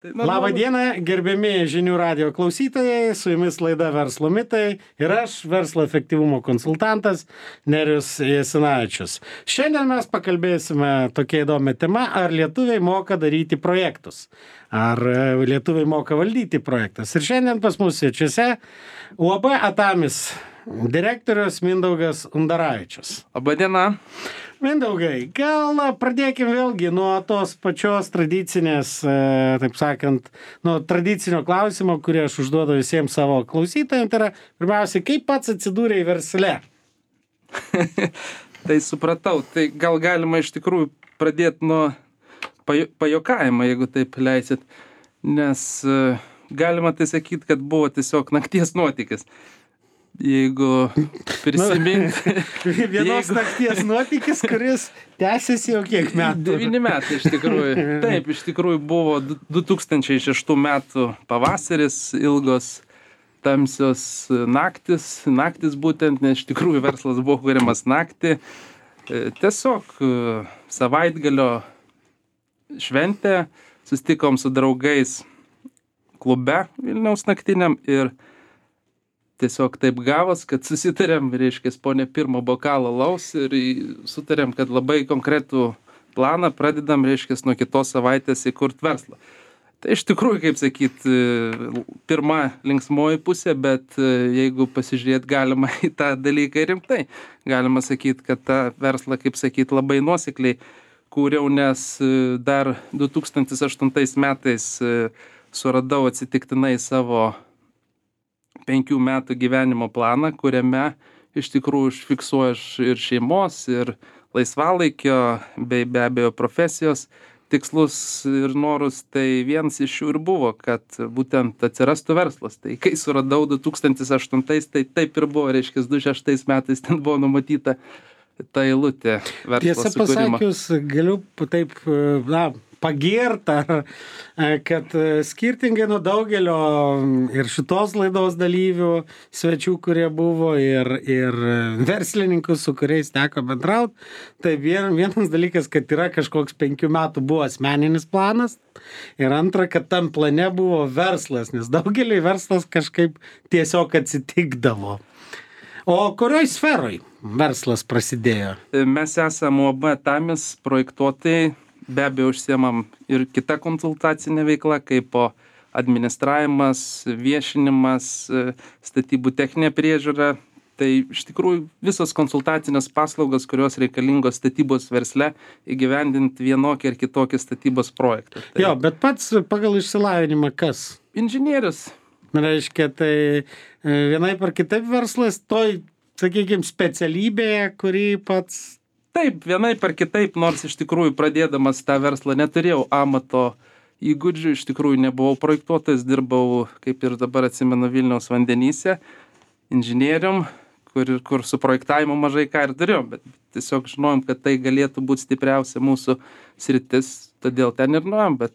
Labą dieną, gerbiami žinių radijo klausytojai, su jumis laida Verslo mitai ir aš, verslo efektyvumo konsultantas Nerijus Jasinavičius. Šiandien mes pakalbėsime tokia įdomia tema, ar lietuviai moka daryti projektus, ar lietuviai moka valdyti projektus. Ir šiandien pas mus svečiuose UAB Atamis direktorius Mindaugas Undaravičius. Labą dieną. Mindaugai, gal pradėkime vėlgi nuo tos pačios tradicinės, taip sakant, nuo tradicinio klausimo, kurį aš užduodu visiems savo klausytojams. Tai yra, pirmiausia, kaip pats atsidūrei versle? Tai supratau, tai gal galima iš tikrųjų pradėti nuo pajokavimo, jeigu taip leisit, nes galima tai sakyti, kad buvo tiesiog nakties nuotykis. Jeigu prisiminti... Vienos nakties nuotykis, kuris tęsiasi jau kiek metų? 9 metai iš tikrųjų. Taip, iš tikrųjų buvo 2006 metų pavasaris, ilgos tamsios naktis būtent, nes iš tikrųjų verslas buvo kuriamas naktį. Tiesiog savaitgalio šventė, susitikom su draugais klube Vilniaus naktiniam ir tiesiog taip gavos, kad susitarėm, reiškia, po ne pirmo bokalo alaus ir sutarėm, kad labai konkretų planą pradedam, reiškia, nuo kitos savaitės įkurt verslą. Tai iš tikrųjų, kaip sakyt, pirma linksmoji pusė, bet jeigu pasižiūrėt galima į tą dalyką rimtai, galima sakyt, kad tą verslą, kaip sakyt, labai nuosekliai kūriau, nes dar 2008 metais suradau atsitiktinai savo 5 metų gyvenimo planą, kuriame iš tikrųjų užfiksuoju ir šeimos, ir laisvalaikio, bei be abejo profesijos tikslus ir norus. Tai vienas iš jų ir buvo, kad būtent atsirastų verslas. Tai kai suradau 2008, tai taip ir buvo, reiškia, 2006 metais ten buvo numatyta ta eilutė verslo sukūrimo. Tiesą pasakius, galiu taip, pagirta, kad skirtingai nuo daugelio ir šitos laidos dalyvių, svečių, kurie buvo, ir verslininkų, su kuriais teko bendrauti, tai vienas dalykas, kad yra kažkoks 5 metų buvo asmeninis planas, ir antra, kad tam plane buvo verslas, nes daugeliui verslas kažkaip tiesiog atsitikdavo. O kurioj sferoj verslas prasidėjo? Mes esame UAB Atamis projektuotojai. Be abejo, užsiemam ir kita konsultacinė veikla, kaip administravimas, viešinimas, statybų techninė priežiūra. Tai iš tikrųjų visos konsultacinės paslaugos, kurios reikalingos statybos versle, įgyvendinti vienokį ar kitokį statybos projektą. Tai... Jo, bet pats pagal išsilavinimą kas? Inžinierius. Reiškia, tai vienaip ar kitaip verslas toj, sakykime, specialybėje, kurį pats... Taip, vienaip ar kitaip, nors iš tikrųjų pradėdamas tą verslą neturėjau amato įgūdžių, iš tikrųjų nebuvau projektuotojas, dirbau, kaip ir dabar atsimenu, Vilniaus vandenyse, inžinierium, kur su projektavimu mažai ką ir turėjom, bet tiesiog žinojom, kad tai galėtų būti stipriausia mūsų sritis, todėl ten ir nuėjom, bet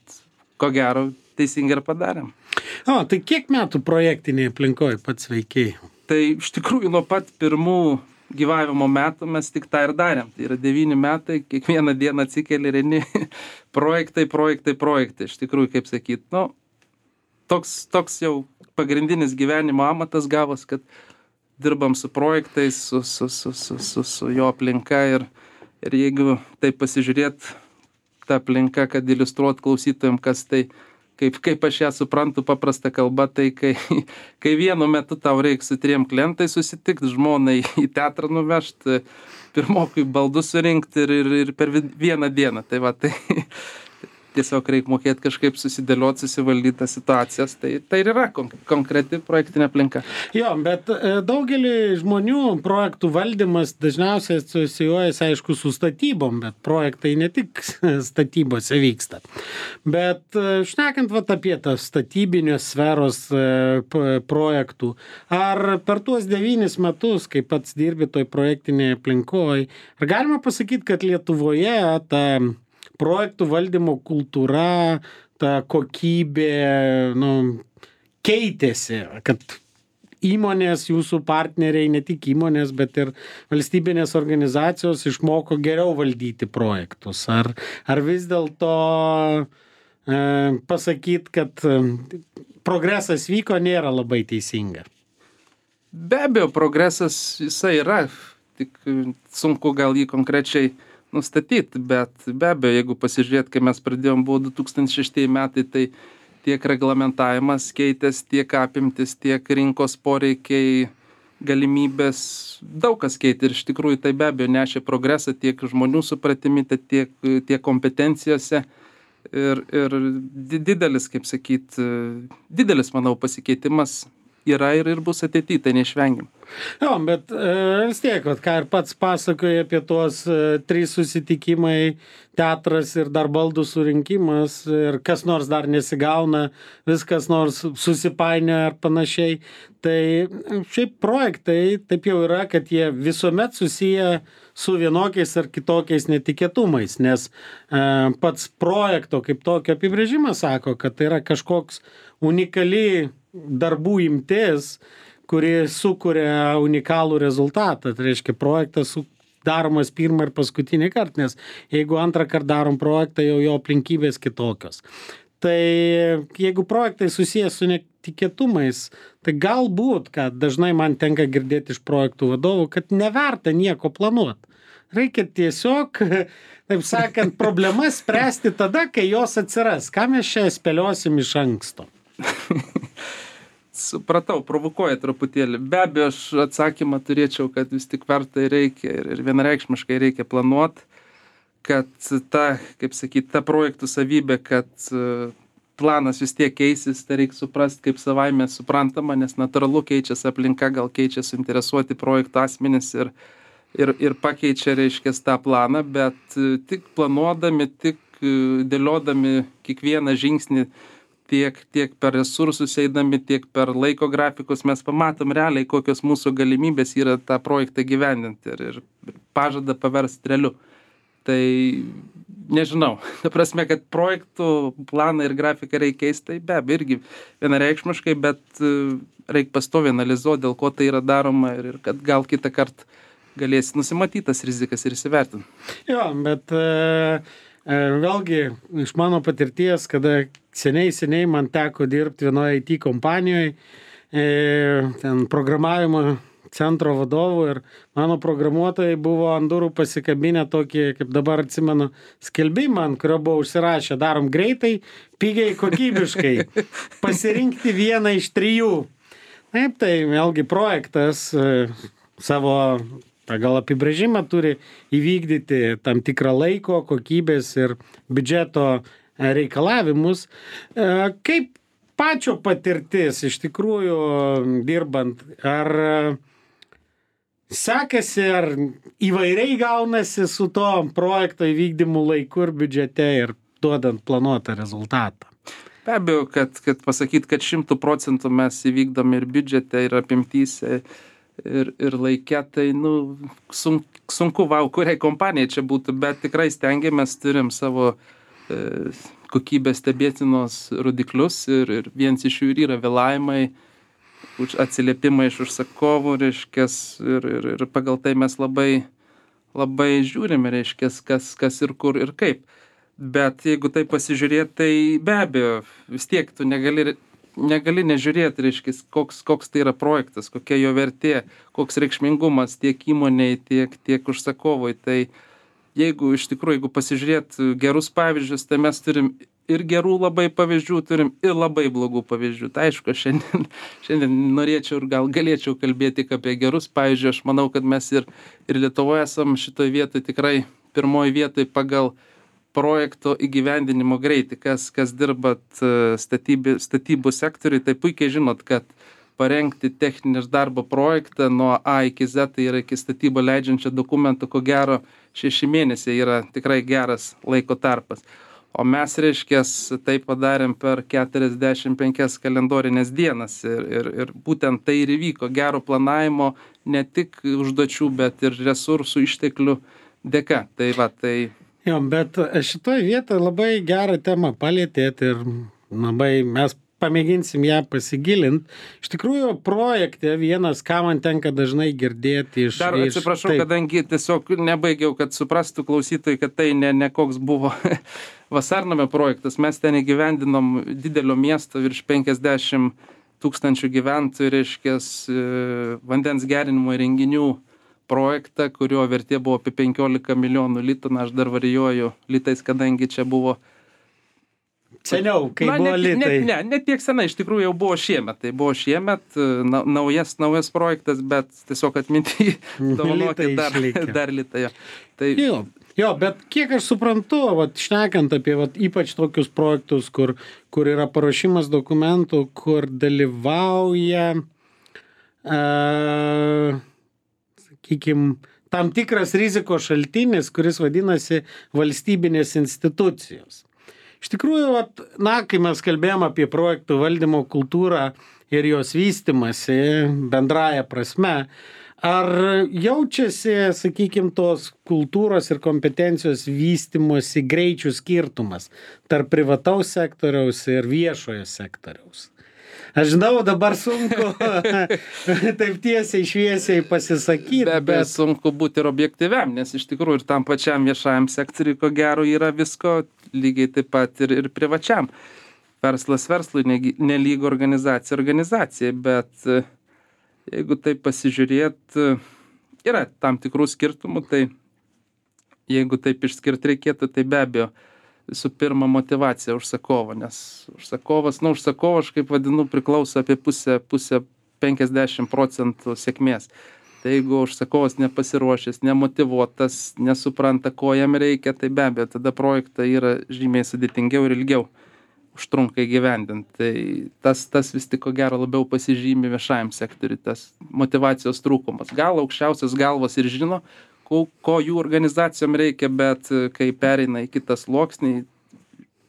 ko gero teisingai ir padarėm. O, tai kiek metų projektinėje aplinkoje pats veikiai? Tai iš tikrųjų nuo pat pirmų gyvavimo metų mes tik tą ir darėm. Tai yra 9 metai, kiekvieną dieną atsikeli ir eini projektai. Iš tikrųjų, kaip sakyt, toks jau pagrindinis gyvenimo amatas gavos, kad dirbam su projektais, su jo aplinka ir jeigu taip pasižiūrėt tą aplinką, kad iliustruot klausytojams, kas tai, kaip aš ją suprantu paprastą kalbą, tai kai vienu metu tau reikia su 3 klientais susitikti, žmonai į teatrą nuvežti, pirmokui baldus surinkti ir per vieną dieną. Tai va, tai tiesiog reikia mokėti kažkaip susidėlioti, susivaldyti tas situacijas. Tai ir yra konkreti projektinė aplinka. Jo, bet daugelį žmonių projektų valdymas dažniausiai asocijuojasi, aišku, su statybom, bet projektai ne tik statybose vyksta. Bet šnekant apie tas statybinės sferos projektų, ar per tuos 9 metus, kai pats dirbi toj projektinėje aplinkoje, ar galima pasakyti, kad Lietuvoje ta projektų valdymo kultūra, ta kokybė, keitėsi, kad įmonės, jūsų partneriai, ne tik įmonės, bet ir valstybinės organizacijos išmoko geriau valdyti projektus? Ar vis dėlto pasakyti, kad progresas vyko, nėra labai teisinga. Be abejo, progresas jisai yra, tik sunku gal jį konkrečiai nustatyti, bet be abejo, jeigu pasižiūrėt, kai mes pradėjom, buvo 2006 metai, tai tiek reglamentavimas keitės, tiek apimtis, tiek rinkos poreikiai, galimybės, daug kas keitė ir iš tikrųjų tai be abejo nešė progresą tiek žmonių supratimi, tiek kompetencijose ir didelis, kaip sakyt, didelis, manau, pasikeitimas yra ir bus ateityje, tai neišvengiam. Jo, bet vis tiek, ką ir pats pasakoja apie tuos 3 susitikimai, teatras ir dar baldų surinkimas ir kas nors dar nesigauna, viskas nors susipainioja ar panašiai. Tai šiaip projektai taip jau yra, kad jie visuomet susiję su vienokiais ar kitokiais netikėtumais, nes pats projekto kaip tokio apibrėžimas sako, kad tai yra kažkoks unikali darbų imtis, kuri sukuria unikalų rezultatą. Tai reiškia, projektas daromas pirmą ir paskutinį kartą, nes jeigu antrą kartą darom projektą, jau jo aplinkybės kitokios. Tai jeigu projektai susijęs su netikėtumais, tai galbūt, kad dažnai man tenka girdėti iš projektų vadovų, kad neverta nieko planuoti. Reikia tiesiog, taip sakant, problemas spręsti tada, kai jos atsiras. Ką mes čia spėliosim iš anksto? Supratau, provokuoja truputėlį. Be abejo, aš atsakymą turėčiau, kad vis tik verta reikia ir vienareikšmiškai reikia planuoti, kad ta, kaip sakyti, ta projektų savybė, kad planas vis tiek keisis, tai reikia suprasti kaip savaime suprantama, nes natūralu keičiasi aplinka, gal keičia suinteresuoti projektų asmenys ir pakeičia, reiškia, tą planą, bet tik planuodami, tik dėliodami kiekvieną žingsnį, tiek per resursus eidami, tiek per laiko grafikus mes pamatom realiai, kokios mūsų galimybės yra tą projektą gyvendinti ir pažadą paversti realiu. Tai nežinau, ta prasme, kad projektų planą ir grafiką reikia keisti, tai be abejo irgi vienareikšmiškai, bet reikia pastoviai analizuoti, dėl ko tai yra daroma ir kad gal kitą kartą galėsi nusimatyti tas rizikas ir įsivertinti. Jo, bet vėlgi iš mano patirties, kada seniai man teko dirbti vienoje IT kompanijoje, ten programavimo centro vadovų ir mano programuotojai buvo ant durų pasikabinę tokį, kaip dabar atsimenu, skelbimą, ant kurio buvo užsirašę, darom greitai, pigiai, kokybiškai, pasirinkti vieną iš 3. Taip, tai vėlgi projektas savo pagal apibrėžimą turi įvykdyti tam tikrą laiko, kokybės ir biudžeto reikalavimus. Kaip pačio patirtis iš tikrųjų dirbant, ar sekasi, ar įvairiai gaunasi su to projekto įvykdymu laiku ir biudžete ir duodant planuotą rezultatą? Be abejo, kad pasakyti, kad 100% mes įvykdom ir biudžete, ir apimtyse, ir laikė, tai sunku, kuriai kompanijai čia būtų, bet tikrai stengiamės, turim savo kokybės stebėtinos rodiklius ir vienas iš jų yra vėlavimai, atsiliepimai iš užsakovų, reiškės, ir pagal tai mes labai žiūrime, reiškės, kas ir kur ir kaip. Bet jeigu tai pasižiūrėti, tai be abejo, vis tiek tu negali nežiūrėti, reiškia, koks tai yra projektas, kokia jo vertė, koks reikšmingumas tiek įmoniai, tiek užsakovui. Tai jeigu iš tikrųjų, jeigu pasižiūrėt gerus pavyzdžius, tai mes turim ir gerų labai pavyzdžių, turim ir labai blogų pavyzdžių. Tai aišku, šiandien norėčiau ir gal galėčiau kalbėti tik apie gerus pavyzdžius. Aš manau, kad mes ir Lietuvoje esam šitoje vietoje tikrai pirmoje vietoje pagal projekto įgyvendinimo greitį. Kas dirbat statybų sektoriui, tai puikiai žinot, kad parengti techninį darbo projektą nuo A iki Z, tai yra iki statybą leidžiančio dokumento, ko gero 6 mėnesiai yra tikrai geras laiko tarpas. O mes, reiškės, tai padarėm per 45 kalendorinės dienas ir būtent tai ir įvyko gero planavimo ne tik užduočių, bet ir resursų išteklių dėka. Tai va, tai... Jo, bet šitoje vietoje labai gerą temą palėtėt ir labai mes pamėginsim ją pasigilinti. Iš tikrųjų, projekte vienas, ką man tenka dažnai girdėti iš... Dar atsiprašau, kadangi tiesiog nebaigiau, kad suprastų klausytojai, kad tai ne koks buvo Vasarnamio projektas. Mes ten įgyvendinom didelio miesto virš 50 000 gyventojų, reiškias, vandens gerinimo įrenginių projektą, kurio vertė buvo apie 15 milijonų litų. Na, aš dar varijuoju litais, kadangi čia buvo... Seniau, kai buvo litai. Ne tiek senai, iš tikrųjų jau buvo šiemet. Tai buvo šiemet naujas projektas, bet tiesiog atminti dovanokit dar litai. Tai... Jo, bet kiek aš suprantu, šnekant apie ypač tokius projektus, kur yra paruošimas dokumentų, kur dalyvauja, sakykime, tam tikras rizikos šaltinis, kuris vadinasi valstybinės institucijos. Iš tikrųjų, kai mes kalbėjom apie projektų valdymo kultūrą ir jos vystymasi bendraja prasme, ar jaučiasi, sakykime, tos kultūros ir kompetencijos vystymosi greičių skirtumas tarp privataus sektoriaus ir viešojo sektoriaus? Aš žinau, dabar sunku taip tiesiai šviesiai pasisakyti. Bet sunku būti ir objektyviam, nes iš tikrųjų ir tam pačiam viešajam sektoriui, ko gero, yra visko, lygiai taip pat ir privačiam. Verslas verslui nelygu organizacijai, bet jeigu taip pasižiūrėt, yra tam tikrų skirtumų, tai jeigu taip išskirti reikėtų, tai be abejo, visų pirma, motyvacija užsakovo, nes užsakovas, aš kaip vadinu, priklauso apie pusę 50% sėkmės. Tai jeigu užsakovas nepasiruošęs, nemotyvuotas, nesupranta, ko jam reikia, tai be abejo, tada projektą yra žymiai sudėtingiau ir ilgiau užtrunka įgyvendinti. Tai tas vis tik ko gero labiau pasižymi viešajam sektoriui, tas motyvacijos trūkumas. Gal aukščiausias galvas ir žino, ko jų organizacijom reikia, bet kai pereina į kitą sluoksnį,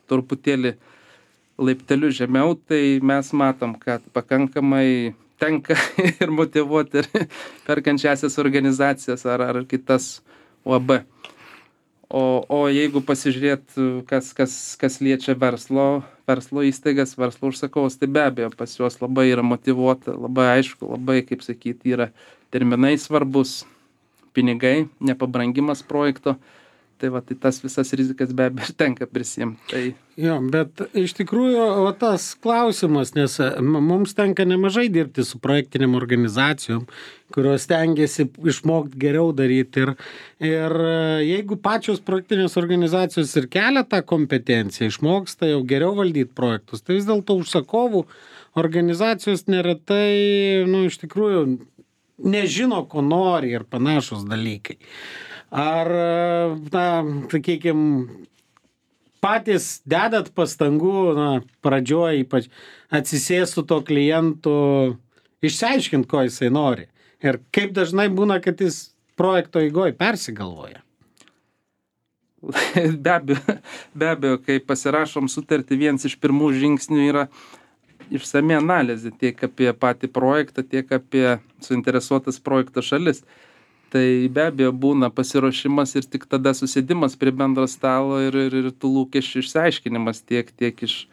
truputėlį laipteliu žemiau, tai mes matom, kad pakankamai tenka ir motyvuoti ir perkančiasias organizacijas ar kitas UAB. O jeigu pasižiūrėt, kas liečia verslo įstaigas, verslo užsakovus, tai be abejo pas juos labai yra motyvuota, labai aišku, labai, kaip sakyti, yra terminai svarbus, pinigai, nepabrangimas projekto, tai tai tas visas rizikas be abejo tenka prisimti. Tai... Jo, bet iš tikrųjų tas klausimas, nes mums tenka nemažai dirbti su projektiniam organizacijom, kurios stengiasi išmokti geriau daryti ir jeigu pačios projektinės organizacijos ir kelia tą kompetenciją, išmoksta jau geriau valdyti projektus, tai vis dėlto užsakovų organizacijos neretai, iš tikrųjų, nežino, ko nori ir panašus dalykai. Ar, sakykime, patys dedat pastangų, pradžioje ypač atsisės su to klientu, išsiaiškinti, ko jisai nori. Ir kaip dažnai būna, kad jis projekto eigoje persigalvoja? Be abejo, kai pasirašom sutartį, vienas iš pirmų žingsnių yra išsami analizė tiek apie patį projektą, tiek apie suinteresuotas projekto šalis. Tai be abejo būna pasiruošimas ir tik tada susėdimas prie bendro stalo ir tų lūkesčių išsiaiškinimas tiek iš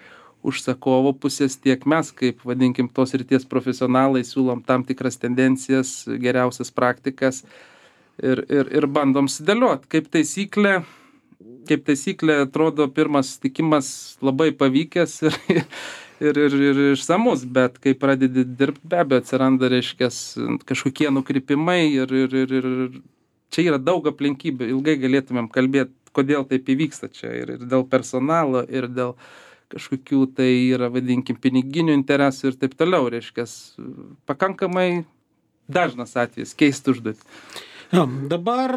užsakovo pusės, tiek mes, kaip vadinkim tos srities profesionalai, siūlom tam tikras tendencijas, geriausias praktikas ir bandom sudėlioti. Kaip taisyklė atrodo pirmas sutikimas labai pavykęs ir išsamus, bet kai pradedi dirbti, be abejo atsiranda, reiškias, kažkokie nukrypimai ir čia yra daug aplinkybių. Ilgai galėtumėm kalbėti, kodėl taip įvyksta čia ir dėl personalo, ir dėl kažkokių tai yra, vadinkim, piniginių interesų ir taip toliau, reiškias, pakankamai dažnas atvejis keisti užduotį. Dabar,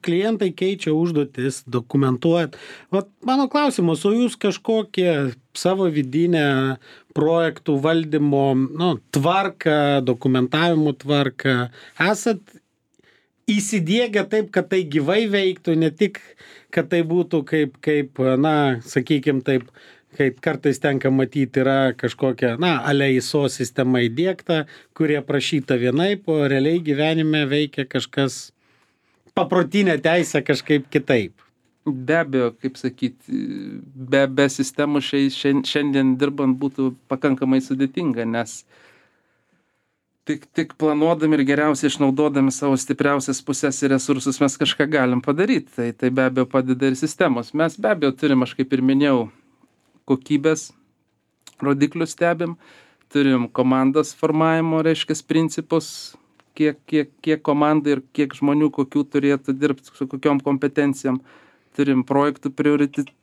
klientai keičia užduotis, dokumentuojat. Mano klausimas, o jūs kažkokią savo vidinę projektų valdymo, tvarką, dokumentavimo tvarką esat įsidiegę taip, kad tai gyvai veiktų, ne tik, kad tai būtų kaip sakykime taip, kaip kartais tenka matyti, yra kažkokia, ISO sistema įdiegta, kurie prašyta vienaip, o realiai gyvenime veikia kažkas paprotinė teisė kažkaip kitaip. Be abejo, kaip sakyti, be sistemų šiandien dirbant būtų pakankamai sudėtinga, nes tik planuodami ir geriausiai išnaudodami savo stipriausias pusės ir resursus mes kažką galim padaryti. Tai be abejo padeda ir sistemos. Mes be abejo turim, aš kaip ir minėjau, kokybės rodiklius stebim, turim komandos formavimo, reiškia, principus, kiek komandai ir kiek žmonių kokių turėtų dirbti, su kokiom kompetencijom. Turim projektų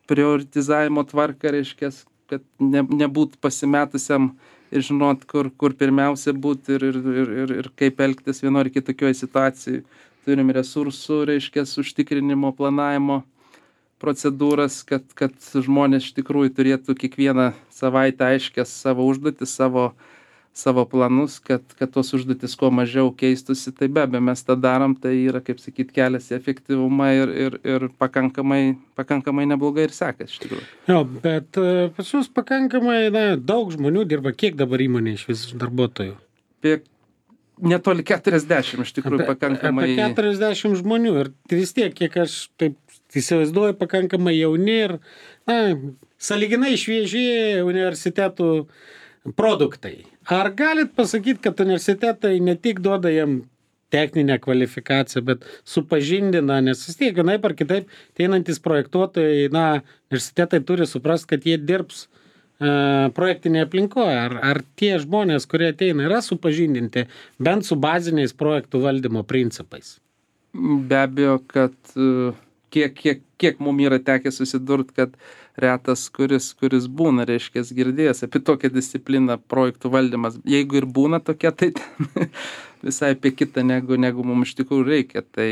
prioritizavimo tvarką, reiškia, kad nebūt pasimetusiam ir žinot, kur pirmiausia būti ir kaip elgtis vieno ar kitokioje situacijoje. Turim resursų, reiškia, užtikrinimo, planavimo procedūras, kad žmonės iš tikrųjų turėtų kiekvieną savaitę aiškias savo užduotis, savo planus, kad tos užduotis kuo mažiau keistusi. Tai be abejo, mes tą darom, tai yra, kaip sakyt, kelias į efektyvumą ir pakankamai neblogai ir sekas iš tikrųjų. Jo, bet pas jūs pakankamai daug žmonių dirba. Kiek dabar įmonė iš vis darbuotojų? Netoli 40 iš tikrųjų pakankamai. Apie 40 žmonių ir vis tiek, kiek aš taip įsivaizduoju, pakankamai jauni ir sąlyginai švieži universitetų produktai. Ar galit pasakyti, kad universitetai ne tik duoda jam techninę kvalifikaciją, bet supažindina, nes vis tiek vienaip ar kitaip einantis projektuotojai, universitetai turi suprasti, kad jie dirbs projektinėje aplinkoje. Ar tie žmonės, kurie ateina, yra supažindinti bent su baziniais projektų valdymo principais? Be abejo, kad kiek mum yra tekę susidurt, kad retas, kuris būna, reiškia, girdėjęs apie tokią discipliną projektų valdymas. Jeigu ir būna tokia, tai visai apie kitą, negu mums iš tikrųjų reikia. Tai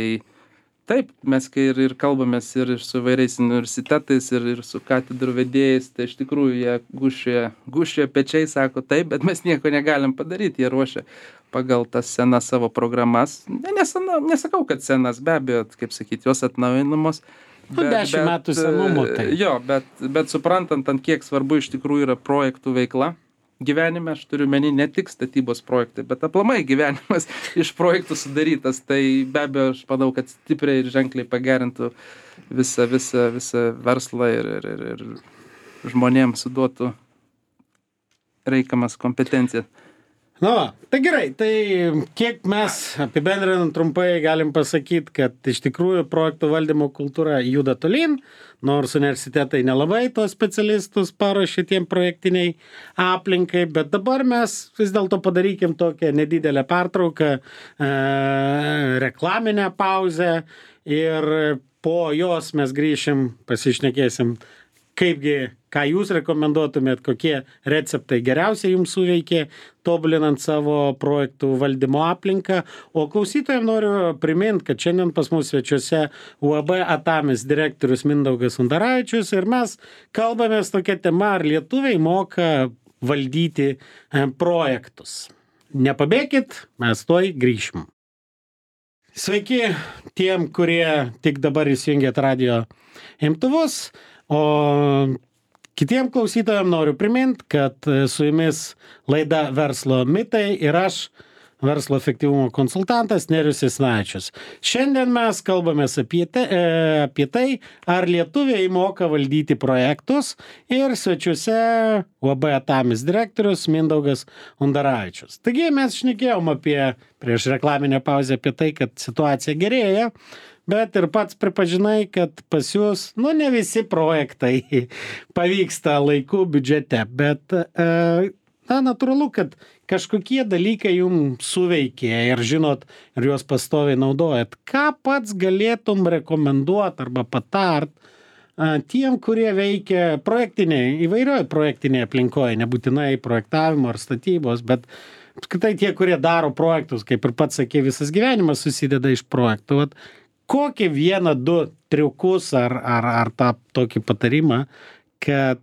taip, mes kai ir kalbamės ir su vairiais universitetais, ir su katedrų vedėjais, tai iš tikrųjų jie gūščioja pečiai, sako taip, bet mes nieko negalim padaryti. Jie ruošia pagal tas senas savo programas. Nesakau, kad senas, be abejo, kaip sakyti, jos atnaujinamos. 10 metų senumo. Tai. Jo, bet suprantant, ant kiek svarbu iš tikrųjų yra projektų veikla gyvenime, aš turiu meni ne tik statybos projektai, bet aplamai gyvenimas iš projektų sudarytas. Tai be abejo, aš manau, kad stipriai ir ženkliai pagerintų visą verslą ir žmonėms suduotų reikiamas kompetencijas. Tai gerai, tai kiek mes apibendrinant trumpai galim pasakyti, kad iš tikrųjų projektų valdymo kultūra juda tolyn, nors universitetai nelabai tos specialistus paruošė tiem projektiniai aplinkai, bet dabar mes vis dėlto padarykim tokią nedidelę pertrauką, reklaminę pauzę ir po jos mes grįšim, pasišnekėsim, ką jūs rekomenduotumėt, kokie receptai geriausiai jums suveikė, tobulinant savo projektų valdymo aplinką. O klausytojams noriu priminti, kad šiandien pas mus svečiuose UAB Atamis direktorius Mindaugas Undaravičius ir mes kalbamės tokia tema, ar lietuviai moka valdyti projektus. Nepabėkit, mes tuoj grįšim. Sveiki tiem, kurie tik dabar įsijungėt radio imtuvus. O kitiem klausytojams noriu priminti, kad su jumis laida Verslo mitai ir aš, verslo efektyvumo konsultantas Nerijus Jasinavičius. Šiandien mes kalbamės apie tai, ar lietuviai moka valdyti projektus ir svečiuose UAB Atamis direktorius Mindaugas Undaravičius. Taigi mes šnekėjom prieš reklaminę pauzę apie tai, kad situacija gerėja. Bet ir pats pripažinai, kad pas jūs, ne visi projektai pavyksta laiku biudžete, bet natūralu, kad kažkokie dalykai jums suveikė ir žinot, ir juos pastoviai naudojat. Ką pats galėtum rekomenduoti arba patart tiem, kurie veikia įvairioje projektinėje aplinkoje, nebūtinai projektavimo ar statybos, bet apskritai tie, kurie daro projektus, kaip ir pats sakė, visas gyvenimas susideda iš projektų. Kokį 1-2 triukus ar tą tokį patarimą, kad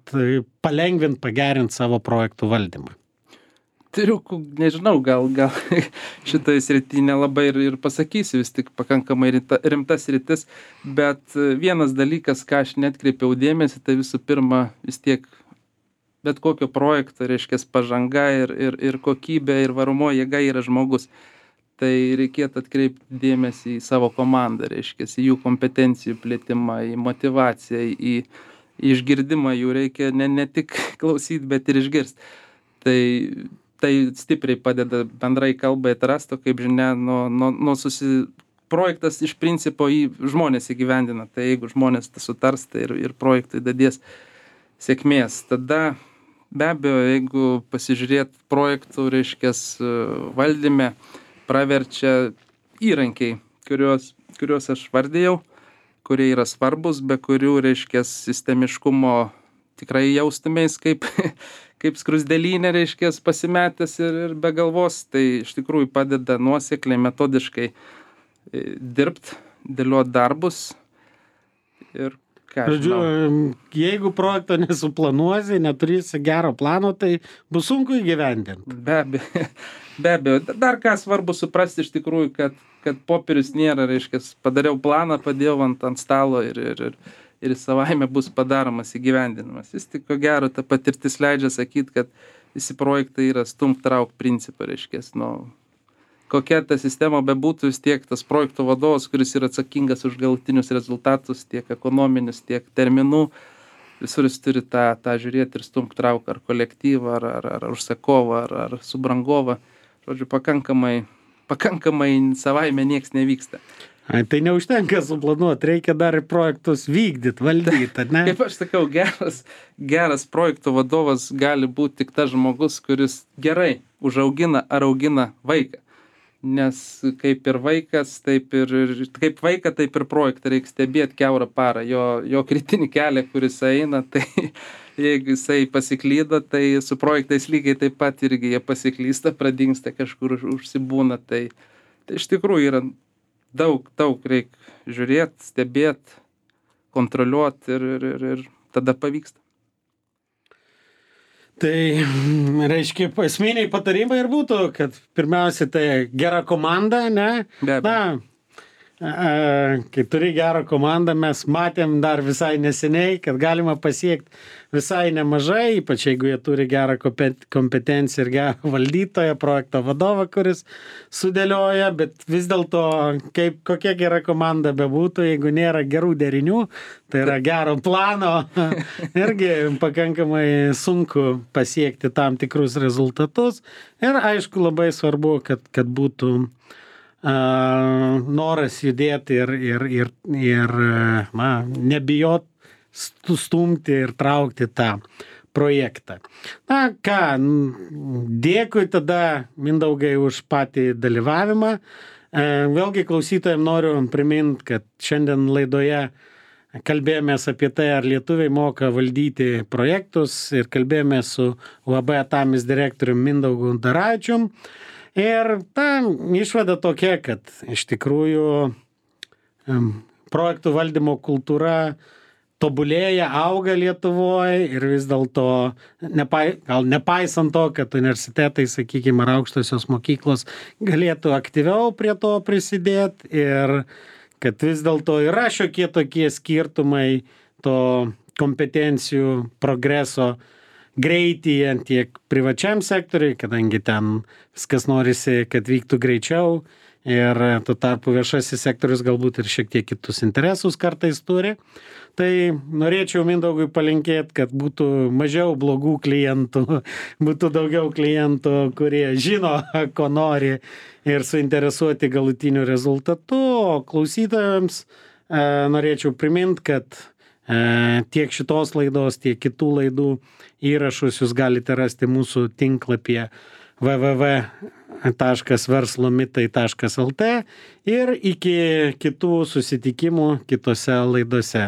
palengvint, pagerint savo projektų valdymą? Triukų, nežinau, gal šitoj srity nelabai ir pasakysiu, vis tik pakankamai rimtas sritis, bet vienas dalykas, ką aš netkreipiau dėmesį, tai visų pirma, vis tiek bet kokio projekto, reiškia, pažanga ir kokybė ir varomo jėga yra žmogus. tai reikėtų atkreipti dėmesį į savo komandą, reiškia, į jų kompetencijų plėtimą, į motyvaciją, į išgirdimą jų reikia ne tik klausyti, bet ir išgirsti. Tai stipriai padeda bendrai kalbai atrasti, kaip žinia, projektas iš principo į žmonės įgyvendina. Tai jeigu žmonės sutars, tai ir projektui dadės sėkmės. Tada be abejo, jeigu pasižiūrėt projektų, reiškia, valdyme, praverčia įrankiai, kuriuos aš vardėjau, kurie yra svarbus, be kurių, reiškia, sistemiškumo tikrai jaustumės kaip skrusdėlynė, reiškia, pasimetęs ir be galvos. Tai iš tikrųjų padeda nuosekliai, metodiškai dirbti, dėlioti darbus ir ką aš žinau. Jeigu projekto nesuplanuosi, neturėsi gero plano, tai bus sunku įgyvendinti. Be abejo. Dar ką svarbu suprasti iš tikrųjų, kad popierius nėra, reiškia, padariau planą, padėjau ant stalo ir savaime bus padaromas įgyvendinimas. Jis tik ko gero, ta patirtis leidžia sakyti, kad visi projektai yra stumt-trauk principą, reiškia, kokia ta sistema bebūtų, vis tiek tas projekto vadovas, kuris yra atsakingas už galutinius rezultatus, tiek ekonominius, tiek terminų, visur jis turi tą žiūrėti ir stumt-trauk ar kolektyvą, ar užsakovą, ar subrangovą. Žodžiu, pakankamai savaime nieks nevyksta. Tai neužtenka suplanuoti, reikia dar ir projektus vykdyti, valdyti, ne? Kaip aš sakau, geras projekto vadovas gali būti tik tas žmogus, kuris gerai užaugina ar augina vaiką. Nes kaip ir vaikas, kaip vaiką, taip ir projektą reikia stebėti kiaurą parą. Jo kritinį kelią, kuris eina, tai jeigu jisai pasiklydo, tai su projektais lygiai taip pat irgi jie pasiklysta, pradingsta, kažkur užsibūna. Tai iš tikrųjų yra daug reikia žiūrėti, stebėti, kontroliuoti ir tada pavyksta. Tai, reiškia, esminiai patarimai ir būtų, kad pirmiausia, tai gera komanda, ne? Be abejo. Kai turi gerą komandą, mes matėm dar visai neseniai, kad galima pasiekti visai nemažai, ypač jeigu jie turi gerą kompetenciją ir gerą valdytoją, projekto vadovą, kuris sudėlioja, bet vis dėlto, kokia gera komanda bebūtų, jeigu nėra gerų derinių, tai yra gero plano, irgi pakankamai sunku pasiekti tam tikrus rezultatus. Ir aišku, labai svarbu, kad būtų noras judėti ir nebijot stumti ir traukti tą projektą. Dėkui tada, Mindaugai, už patį dalyvavimą. Vėlgi klausytojams noriu priminti, kad šiandien laidoje kalbėjomės apie tai, ar lietuviai moka valdyti projektus, ir kalbėjomės su UAB Atamis direktoriumi Mindaugu Daravičium. Ir ta išvada tokia, kad iš tikrųjų projektų valdymo kultūra tobulėja, auga Lietuvoje ir vis dėlto, gal nepaisant to, kad universitetai, sakykime, ar aukštosios mokyklos galėtų aktyviau prie to prisidėti ir kad vis dėlto yra šiokie tokie skirtumai to kompetencijų progreso greityje tiek privačiam sektoriui, kadangi ten viskas norisi, kad vyktų greičiau ir tuo tarpu viešasis sektorius galbūt ir šiek tiek kitus interesus kartais turi. Tai norėčiau Mindaugui palinkėti, kad būtų mažiau blogų klientų, būtų daugiau klientų, kurie žino, ko nori ir suinteresuoti galutiniu rezultatu. O klausytojams norėčiau priminti, kad tiek šitos laidos, tiek kitų laidų įrašus jūs galite rasti mūsų tinklapyje www.verslomitai.lt ir iki kitų susitikimų kitose laidose.